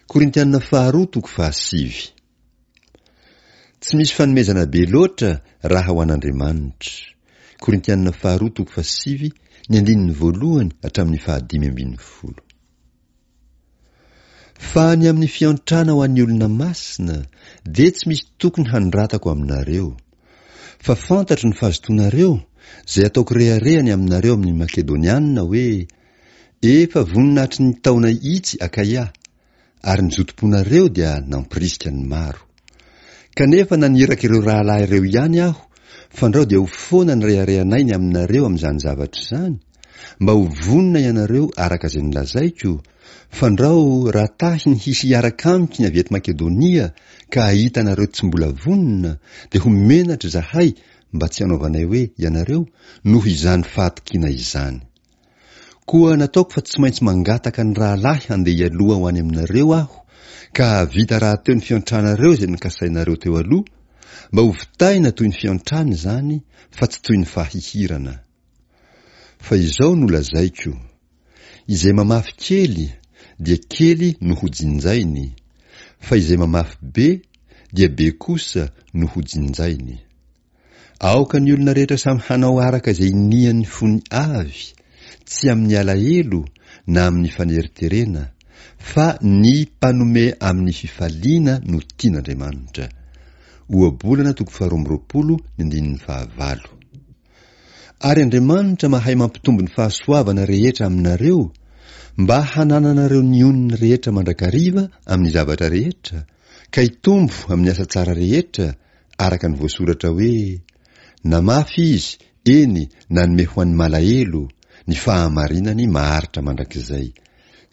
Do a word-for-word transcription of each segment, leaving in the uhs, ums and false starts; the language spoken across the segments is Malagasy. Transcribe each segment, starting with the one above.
Korintiana faharoa toko fahasivy. Tsy misy fanomezana be loatra raha ho an'Andriamanitra. Korintiana faharoa toko fahasivy, ny andininy voalohany hatramin'ny fahadimy ambin'ny folo. Fa ny amin'ny fiantrana ho an'ny olona masina dia tsy misy tokony hanoratako aminareo. Fa fantatro ny fahazotoanareo, izay ataoko rehareha ny aminareo amin'ny Makedoniana hoe, Efa vonona hatry ny taona itsy Akaia, ary ny zotom-ponareo dia nampirisika ny maro. Kanefa naniraka ireo rahalahy ireo ihany aho, fandrao dia ho foana ny reharehanay ny aminareo amin'izany zavatra izany, mba ho vonona ianareo araka izay nolazaiko, fandrao raha tahiny hisy hiaraka amiko ny avy eto Makedonia ka hahita anareo tsy mbola vonona, dia ho menatra izahay mba tsy hanaovanay hoe ianareo noho izany fahatokiana izany. Koa nataoko fa tsy maintsy mangataka ny rahalahy handeha hialoha ho any aminareo aho, ka hahavita rahateo ny fiantranareo izay nokasainareo teo aloha, mba ho vitaina toy ny fiantrana izany fa tsy toy ny fahihirana. Fa izao no lazaiko, izay mamafy kely dia kely no ho jinjainy, fa izay mamafy be dia be kosa no ho jinjainy. Aoka ny olona rehetra samy hanao araka izay inian'ny fony avy, tsy amin'ny alahelo na amin'ny faneriterena, fa ny mpanome amin'ny fifaliana no tian'Andriamanitra. Ohabolana toko faharoa amby roapolo ny andininy fahavalo. Ary Andriamanitra mahay mampitombo ny fahasoavana rehetra aminareo, mba hanananareo ny onony rehetra mandrakariva amin'ny zavatra rehetra, ka hitombo amin'ny asa tsara rehetra, araka ny voasoratra hoe, Namafy izy, eny, nanome ho an'ny malahelo, ny fahamarinany maharitra mandrakizay.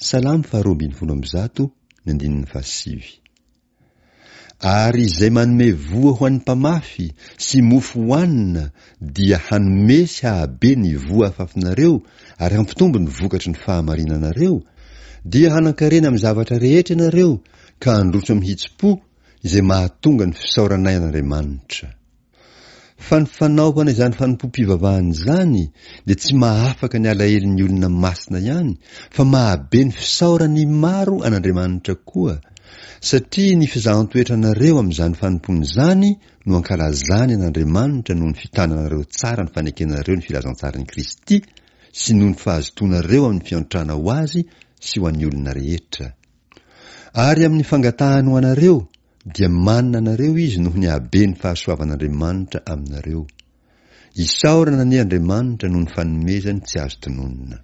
Salamo faharoa ambin'ny folo amby zato, ny andininy fahasivy. Ary izay manome voa ho an'ny mpamafy sy mofo hohanina dia hanome sy hahabe ny voa afafinareo ary hampitombo ny vokatry ny fahamarinanareo, dia hanankarena amin'ny zavatra rehetra ianareo ka handroso amin'ny hitsim-po izay mahatonga ny fisaoranay an'Andriamanitra. Fa ny fanaovana izany fanompoam-pivavahana izany dia tsy mahafaka ny alahelon'ny olona masina ihany fa mahabe ny fisaoran'ny maro an'Andriamanitra koa, satria ny fizahan-toetra anareo amin'izany fanompoana izany no ankalazany an'Andriamanitra noho ny fitananareo tsara ny fanekenareo ny filazantsaran'i Kristy sy noho ny fahazotoanareo amin'ny fiantrana ho azy sy ho an'ny olona rehetra. Ary amin'ny fangatahany ho anareo dia manina anareo izy noho ny haben'ny fahasoavan'Andriamanitra aminareo. Isaorana anie Andriamanitra noho ny fanomezany tsy azo tononina.